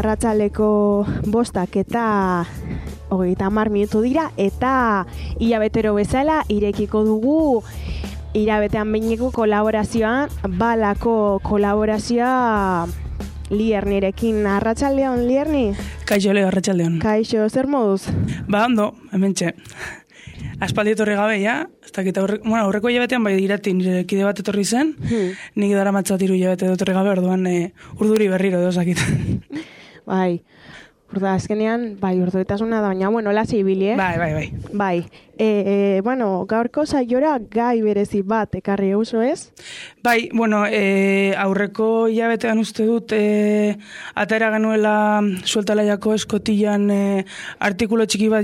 arratsaleko 5:30 dira, eta hilabetero bezala irekiko dugu hilabetean behineko kolaborazioan, balako kolaborazioa Liernirekin. Arratsaldeon, Lierni? Kaixo, Leo, arratsaldeon. Kaixo, zer moduz? Ba, ondo, hementxe. Aspaldi etorri gabe, ja? Aurreko hilabetean bai irati nire kide bat etorri zen, nik daramatzat 3 hilabete etorri gabe, orduan urduri berriro dozakit. Bai, azkenean, urduetasuna da, baina, lasi ibili, Bai. Gaurko saiora gai berezi bat ekarri euso, ez? Bai, aurreko hilabetean uste dut atera genuela sueltalaiako eskotillan artikulo txiki bat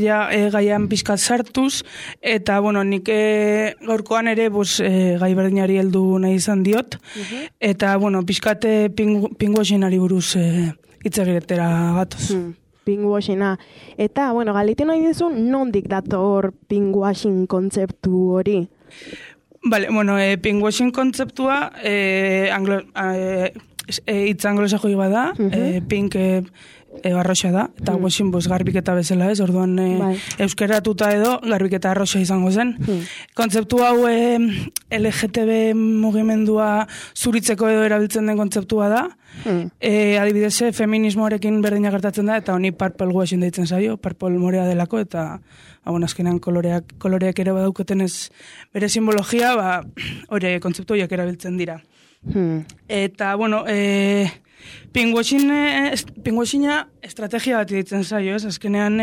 gaian pizkat sartuz, eta, nik gaurkoan ere gai berdinari heldu nahi izan diot, eta, pizkat pinguaxenari buruz hitz egitera gatoz. Pinguaxena. Eta, galdetu nahi dizu, nondik dator pinguaxin kontzeptu hori? Bale, pinguaxin kontzeptua hitz anglosajoi bada, pink arroxa da, eta washing garbiketa bezala ez, orduan euskeratuta edo garbiketa arroxa izango zen. Kontzeptu hau LGTB mugimendua zuritzeko edo erabiltzen den kontzeptua da. Adibidez, feminismoarekin berdina gertatzen da, eta honi purple washing deitzen zaio, purple morea delako, eta azkenean koloreak ere badauketen ez bere simbologia, hori kontzeptu horiek erabiltzen dira. Eta, pinguaxina estrategia bat ditzen zaio, ez? Azkenean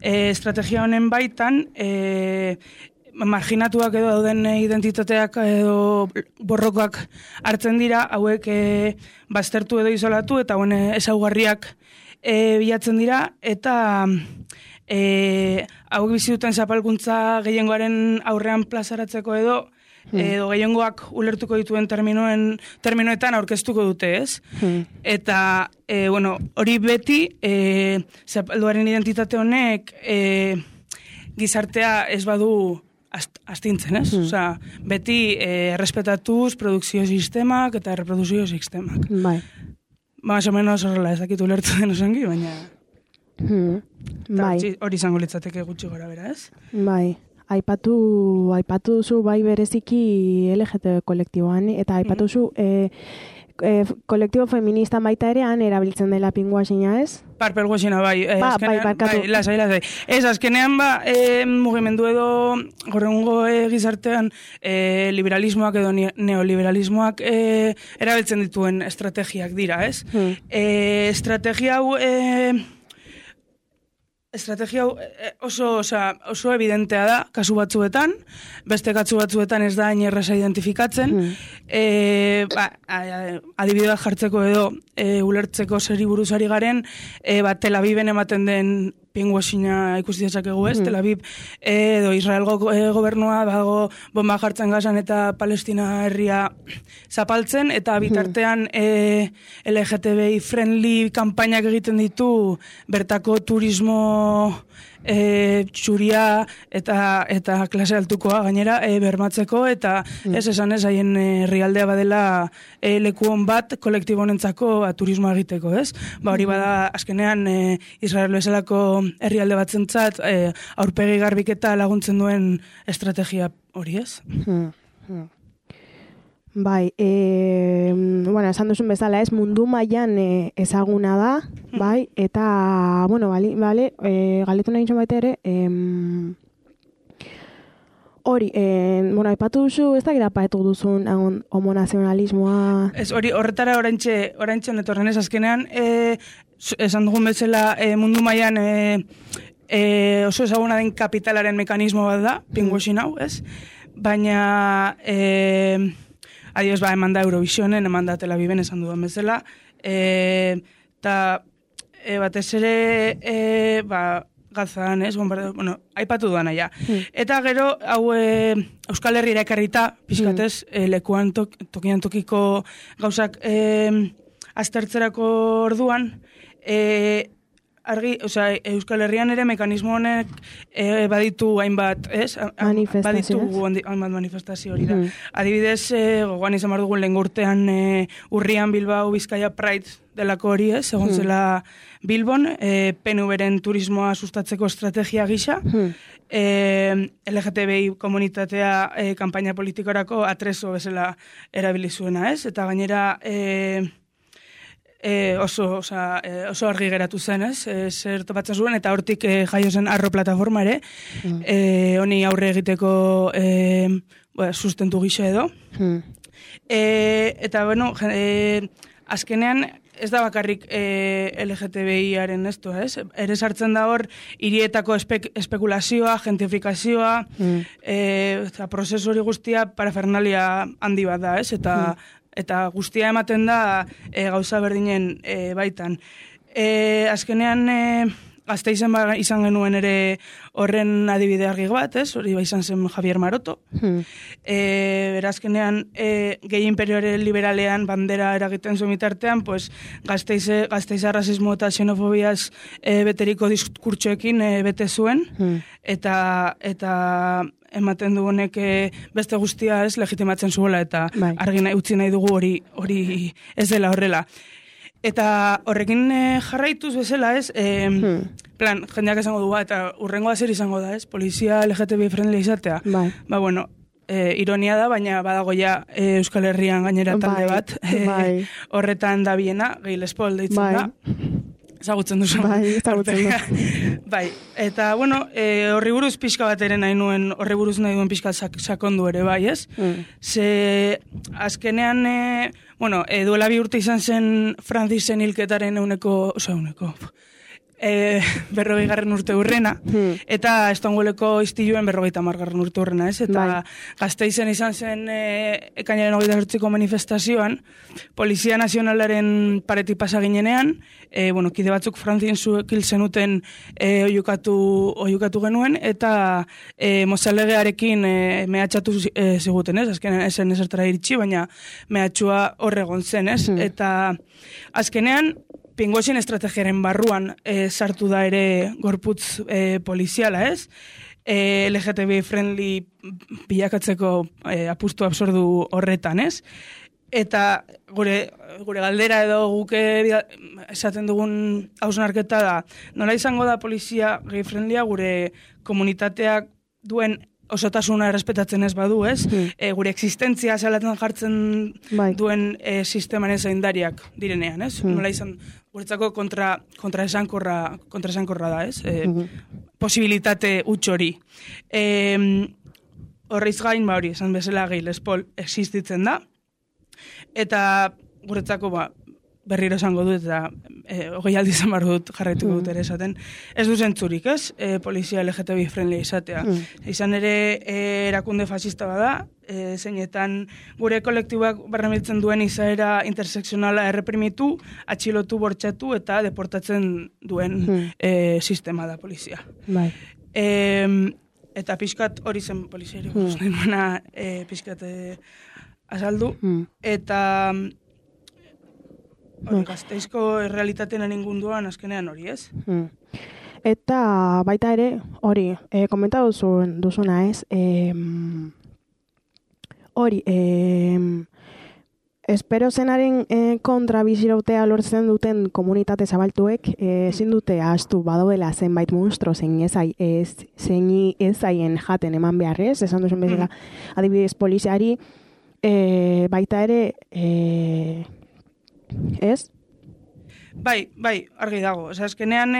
estrategia honen baitan marginatuak edo dauden identitateak edo borrokoak hartzen dira, hauek baztertu edo isolatu eta ezaugarriak bilatzen dira, eta hauek bizi duten zapalkuntza gehiengoaren aurrean plazaratzeko edo gehiengoak ulertuko dituen terminoetan aurkeztuko dute, ez? Eta, hori beti, zapalduaren identitate honek gizartea ez badu astintzen, ez? Osea, beti errespetatuz produkzio sistemak eta reproduzio sistemak. Bai. Más o menos horrela, ez dakit ulertu den osongi, baina... Hori izango litzateke gutxi gora bera, ez? Bai. Aipatu duzu bai bereziki LGTB kolektiboan, eta aipatu duzu kolektibo feminista baita erean erabiltzen dela pinguaxina, ez? Purple washina, bai. Barkatu. Lasai. Ez, azkenean, mugimendu edo gorrengo gizartean liberalismoak edo neoliberalismoak erabiltzen dituen estrategiak dira, ez? Estrategia hau oso evidentea da, kasu batzuetan, beste kasu batzuetan ez da hain erraza identifikatzen, adibide bat jartzeko edo ulertzeko zeri buruzari garen, Tel Aviven ematen den pinguaxina ikusi dezakegu, ez? Tel Aviv edo Israelgo gobernua dago bomba jartzen Gazan eta Palestina herria zapaltzen, eta bitartean LGTBI friendly kanpainak egiten ditu bertako turismo txuria eta klase altukoa gainera bermatzeko, eta ez esan ez haien herrialdea badela lekuon bat kolektibo honentzako turismoa egiteko, ez? Hori bada azkenean Israel bezalako herrialde batzentzat aurpegi garbiketa laguntzen duen estrategia hori, ez? Bai, esan duzun bezala ez, mundu mailan ezaguna da, bai, eta, galetu nahi baita ere, hori, aipatu duzu, ez da gira paetu duzun homonazionalismoa? Ez, horretara orantxe netorren ez, azkenean, esan dugun bezala mundu mailan oso ezaguna den kapitalaren mekanismo bat da, pinguaxin hau, ez? Baina... Adioz, eman da Eurovisionen, eman da Tel Aviven esan dudan bezala, eta batez ere Gazan, ez, aipatu duana, ja. Eta gero, hau Euskal Herriera ekarrita, pizkatez, lekuan tokian tokiko gauzak aztertzerako orduan, argi, Euskal Herrian ere mekanismo honek baditu hainbat, ez? Manifestazio, hainbat manifestazio hori da. Adibidez, gogoan izan behar dugun lehen urtean urrian Bilbao Bizkaia Pride delako hori, ez? Egon zela Bilbon, PNV-ren turismoa sustatzeko estrategia gisa, LGTBI komunitatea kanpaina politikorako atrezo bezala erabili zuena, ez? Eta gainera oso argi geratu zen, ez? Zer topatzen zuen, eta hortik jaio zen Arro plataforma ere, honi aurre egiteko sustentu gisa edo. Eta, bueno, azkenean ez da bakarrik LGTBI-aren esto, ez? Ere sartzen da hor, hirietako espekulazioa, gentrifikazioa, eta prozesu hori guztia parafernalia handi bat da, ez? Eta guztia ematen da gauza berdinen baitan. Azkenean Gasteizen izan genuen ere horren adibide argi bat, ez? Hori izan zen Javier Maroto. Berazkenean, gehi imperioare liberalean bandera eragiten zuen bitartean, pues, Gasteiza rasismo eta xenofobiaz beteriko diskurtsoekin bete zuen, eta ematen dugunek beste guztia ez legitimatzen zuela, eta argi utzi nahi dugu hori ez dela horrela. Eta horrekin jarraituz bezala, ez, jendeak esango du, eta urrengoa zer izango da, ez, polizia LGTBI friendly izatea. Ba, bueno, ironia da, baina badago ja Euskal Herrian gainera talde bat, horretan da biena, Gehi Lespol deitzen da. Ezagutzen duzu. Ezagutzen du. Eta, bueno, horri buruz pixka bat ere nahi duen pixka sakondu ere, bai, ez? Ze, azkenean, duela 2 urte izan zen Francisen hilketaren euneko, 40. urte hurrena, eta Estongueleko istiluen 50. urte hurrena, ez? Eta Gasteizen izan zen ekainaren 28ko manifestazioan, Polizia Nazionalaren paretik pasa ginenean, kide batzuk Franzinzuek hil zenuten oiukatu genuen, eta mozalegearekin mehatxatu ziguten, ez? Azkenean esen ezertara iritsi, baina mehatxua horregon zen, ez? Eta azkenean, Pingoxen estrategiaren barruan sartu da ere gorputz poliziala, ez? LGTBI friendly bilakatzeko apustu absordu horretan, ez? Eta gure galdera edo guke esaten dugun hausnarketa da, nola izango da polizia gay friendlya gure komunitateak duen osotasuna errespetatzen ez badu, ez? Gure existentzia zelatzen jartzen duen sistemaren zaindariak direnean, ez? Nola izan, guretzako kontraesankorra da, ez? Posibilitate huts hori. Horreiz gain, hori, esan bezala Gehi Lespol existitzen da, eta guretzako, berriro esango dut, eta 20 aldiz izan behar dut jarraituko dut ere esaten. Ez du zentzurik, ez? Polizia LGTBI friendly izatea. Izan ere erakunde fascista bada, zeinetan gure kolektiboak barramiltzen duen izaera interseksionala erreprimitu, atxilotu, bortxatu eta deportatzen duen sistema da polizia. Eta pixkat hori zen poliziari buruz nahi nuena pixkat azaldu, eta Gasteizko errealitatean ningunduan azkenean hori, ez? Eta baita ere, hori, komenta duzuna, ez? Hori, espero zenaren kontra bizirautea lortzen duten komunitate zabaltuek, ezin dute ahaztu badaudela zenbait monstro zein ezaien jaten eman beharrez, esan duzun bezala adibidez poliziari, baita ere, ez? Bai, argi dago. Azkenean,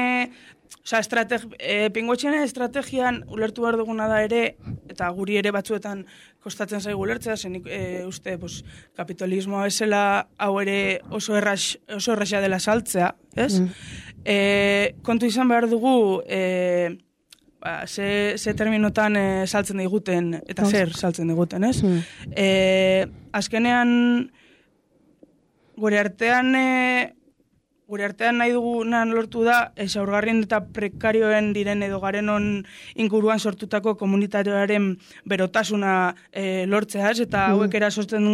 Pingoxen estrategian ulertu behar duguna da ere, eta guri ere batzuetan kostatzen zaigu ulertzea, zenik uste kapitalismoa bezala hau ere oso erraxa dela saltzea, ez? Kontu izan behar dugu, ze terminotan saltzen diguten, eta zer saltzen diguten, ez? Azkenean, gure artean gure artean nahi dugunan lortu da, zaurgarrien eta prekarioen diren edo garenon inguruan sortutako komunitarioaren berotasuna lortzea, ez? Eta hauek erasosten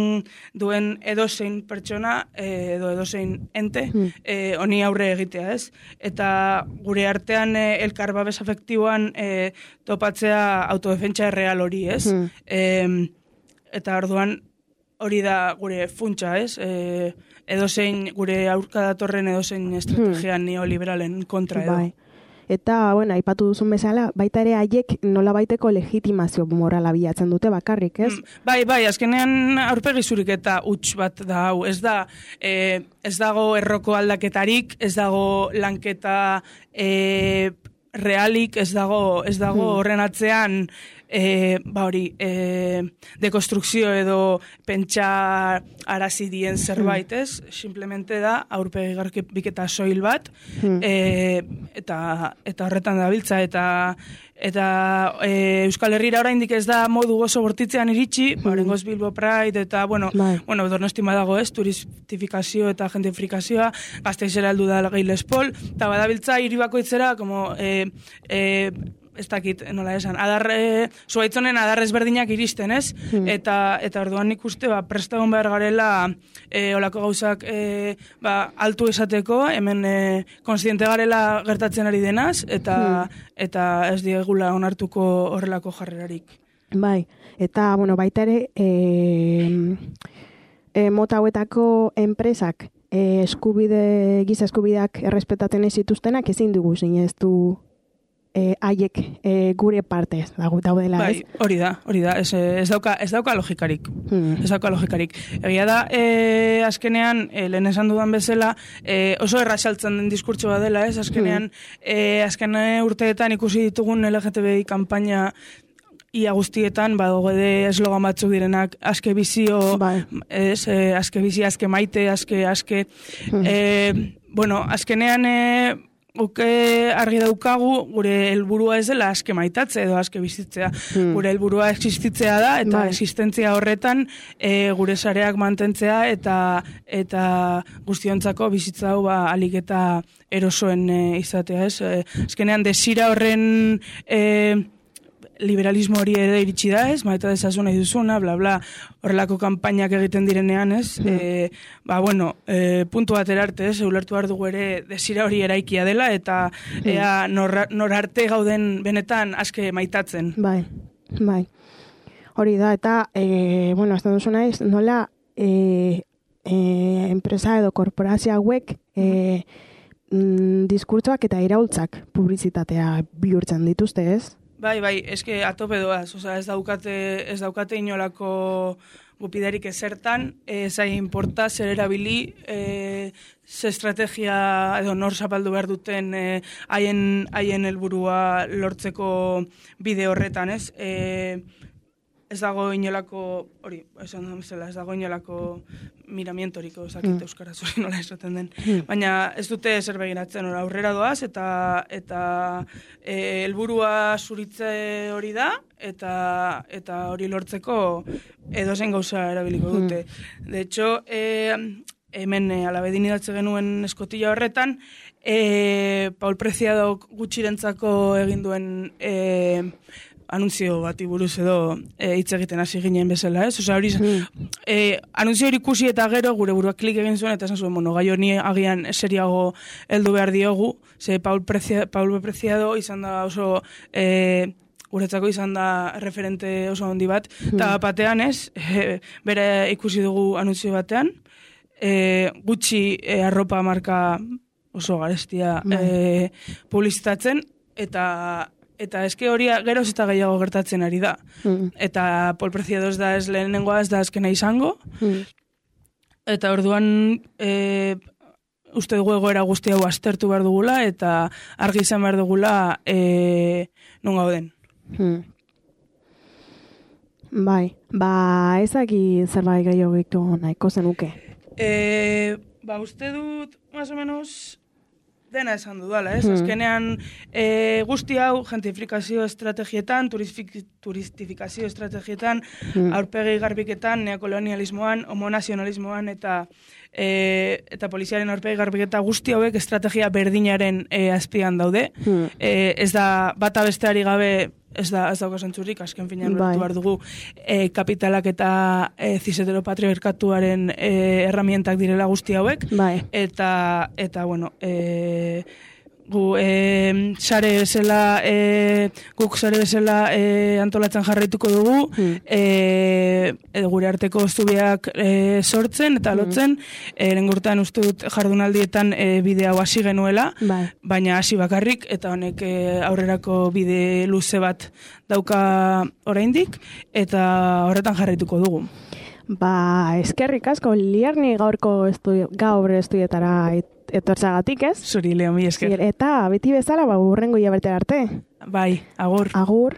duen edozein pertsona edo edozein ente honi aurre egitea, ez? Eta gure artean elkar babes afektiboan topatzea autodefentsa erreal hori, ez? Eta orduan hori da gure funtsa, ez? Edozein gure aurka datorren edozein estrategia neoliberalen kontra edo. Bai. Eta, bueno, aipatu duzun bezala, baita ere haiek nola baiteko legitimazio morala bilatzen dute bakarrik, ez? Bai, azkenean aurpegi zurik eta huts bat da hau. Ez dago erroko aldaketarik, ez dago lanketa realik, ez dago horren atzean dekonstrukzio edo pentsa arazi dien zerbait, ez? Simplemente da aurpegi garbiketa soil bat eta horretan dabiltza eta Euskal Herrira oraindik ez da modu oso bortitzean iritsi, oraingoz Bilbo Pride eta Donostin badago, ez? Turistifikazio eta gentrifikazioa, Gasteizera heldu da Gay Lespol, eta badabiltza hiri bakoitzera como ez dakit, nola esan, zuaitzonen adar ezberdinak iristen, ez? Eta orduan nik uste, prestagon behar garela olako gauzak altu esateko, hemen konstiente garela gertatzen ari denaz, eta ez diegula onartuko horrelako jarrerarik. Bai, eta, baita ere, mota hauetako enpresak giza eskubideak errespetatzen ez zituztenak ezin dugu zineztu haiek gure partez daudela, ez? Bai, hori da, ez dauka logikarik. Ez dauka logikarik. Egia da, azkenean, lehen esan dudan bezala, oso erraxaltzen den diskurtso bat dela, ez? Azkenean, azken urteetan ikusi ditugun LGTBI kanpaina ia guztietan, badogede eslogan batzuk direnak, aske bizio, aske bizi, aske maite, aske. Azkenean, argi daukagu, gure helburua ez dela aske maitatze edo aske bizitzea. Gure helburua existitzea da, eta existentzia horretan gure sareak mantentzea eta guztiontzako bizitza hau alik eta erosoen izatea, ez? Azkenean, desira horren liberalismo hori ere iritsi da, ez? Maita dezazu nahi duzuna, bla, bla, horrelako kanpainak egiten direnean, ez? Puntu bat erarte, ez? Ulertu behar dugu ere desira hori eraikia dela, eta nor arte gauden benetan aske maitatzen. Bai. Hori da, eta, azten duzuna ez, nola enpresa edo korporazio hauek diskurtsoak eta iraultzak publizitatea bihurtzen dituzte, ez? Bai, eske atope doaz, ez daukate inolako gupidarik ezertan, zai importa zer erabili, ze estrategia edo nor zapaldu behar duten haien helburua lortzeko bide horretan, ez? Ez dago inolako, hori, esan da bezala, ez dago inolako miramientoriko, zakit euskaraz hori nola esaten den. Baina ez dute zer begiratzen, aurrera doaz, eta helburua zuritze hori da, eta hori lortzeko edozein gauza erabiliko dute. De hecho, hemen alabedin idatze genuen eskotilla horretan, Paul Preciado gutxirentzako egin duen anunzio bati buruz edo hitz egiten hasi ginen bezala, ez? Osea, hori anunzio hori ikusi eta gero gure buruak klik egin zuen eta esan zuen, gai honi agian seriago heldu behar diogu, ze Paul Preciado izan da oso guretzako izan da referente oso handi bat, eta batean ez, bere ikusi dugu anunzio batean, gutxi arropa marka oso garestia publizitatzen, eta eske hori geroz eta gehiago gertatzen ari da. Eta Paul Preciado ez da ez lehenengoa, ez da azkena izango. Eta orduan uste dugu egoera guzti hau aztertu behar dugula eta argi izan behar dugula non gauden. Bai, ezaki zerbait gehiago gitu nahiko zenuke. Uste dut, más o menos, dena esan dudala, ez? Azkenean guzti hau gentrifikazio estrategietan, turistifikazio estrategietan, aurpegi garbiketan, neokolonialismoan, homonazionalismoan eta eta poliziaren aurpegi garbiketa guzti hauek estrategia berdinaren azpian daude. Ez da bata besteari gabe ez dauka zentzurik, azken finean lortu behar dugu kapitalak eta ziseteropatriarkatuaren herramientak direla guzti hauek. Eta bueno, guk sare bezala antolatzen jarraituko dugu, gure arteko zubiak sortzen eta lotzen, lengurtean uste dut jardunaldietan bide hau hasi genuela, baina hasi bakarrik, eta honek aurrerako bide luze bat dauka oraindik, eta horretan jarraituko dugu. Eskerrik asko, Liarni gaur estudietara etortzagatik, ez? Zuri, Leo, mi esker. Eta beti bezala, hurrengo hilabetera arte. Bai, agur. Agur.